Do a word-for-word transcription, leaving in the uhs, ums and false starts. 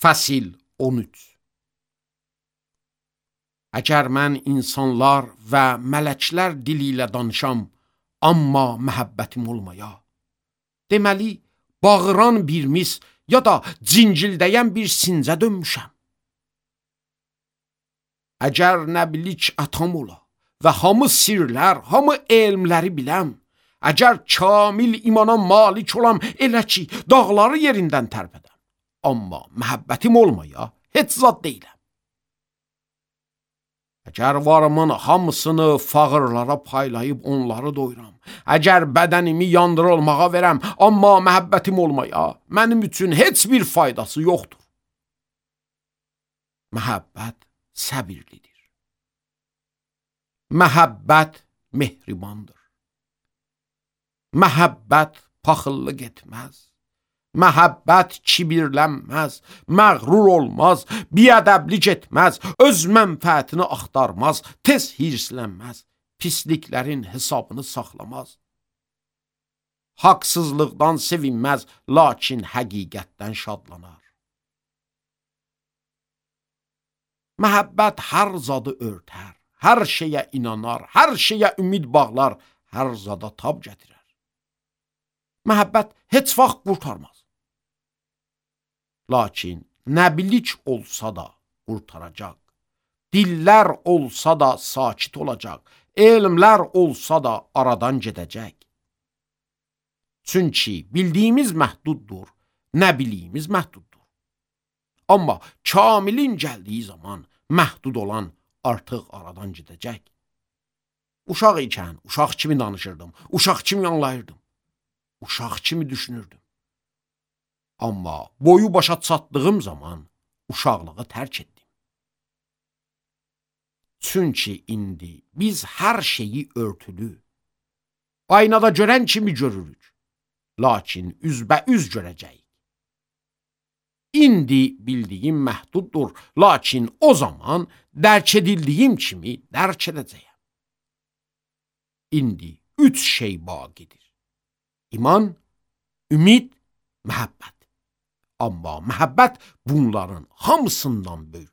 Fəsil on üç. Əgər mən insanlar və mələklər dili ilə danışam, amma məhəbbətim olmaya, deməli, bağıran bir mis ya da cincildəyən bir sincə dönmüşəm. Əgər nəbilik atam ola və hamı sirlər, hamı elmləri biləm, əgər kamil imana malik olam, elə ki, dağları yerindən tərpədəm, amma məhəbbətim olmaya heç zad deyiləm. Əgər varımın hamısını fağırlara paylayıb onları doyuram, əgər bədənimi yandırılmağa verəm, amma məhəbbətim olmaya mənim üçün heç bir faydası yoxdur. Məhəbbət səbirlidir. Məhəbbət mehribandır. Məhəbbət paxıllıq etməz. Məhəbbət kibirlənməz, məğrur olmaz, biədəblik etməz, öz mənfəətini axtarmaz, tez hirslənməz, pisliklərin hesabını saxlamaz. Haqsızlıqdan sevinməz, lakin həqiqətdən şadlanar. Məhəbbət hər zadı örtər, hər şeyə inanar, hər şeyə ümid bağlar, hər zada tab gətirər. Məhəbbət heç vaxt qurtarmaz. Lakin nəbilik olsa da qurtaracaq, dillər olsa da sakit olacaq, elmlər olsa da aradan gedəcək. Çünki bildiyimiz məhduddur, nəbiliyimiz məhduddur. Amma kamilin gəldiyi zaman məhdud olan artıq aradan gedəcək. Uşaq ikən uşaq kimi danışırdım, uşaq kimi anlayırdım, uşaq kimi düşünürdüm. Amma boyu başa çatdığım zaman uşaqlığı tərk etdim. Çünki indi biz hər şeyi örtülü, aynada görən kimi görürük, lakin üzbəüz görəcəyik. İndi bildiyim məhduddur, lakin o zaman dərk edildiyim kimi dərk edəcəyəm. İndi üç şey baqidir. İman, ümid, məhəbbət. Amma məhəbbət bunların hamısından böyükdür.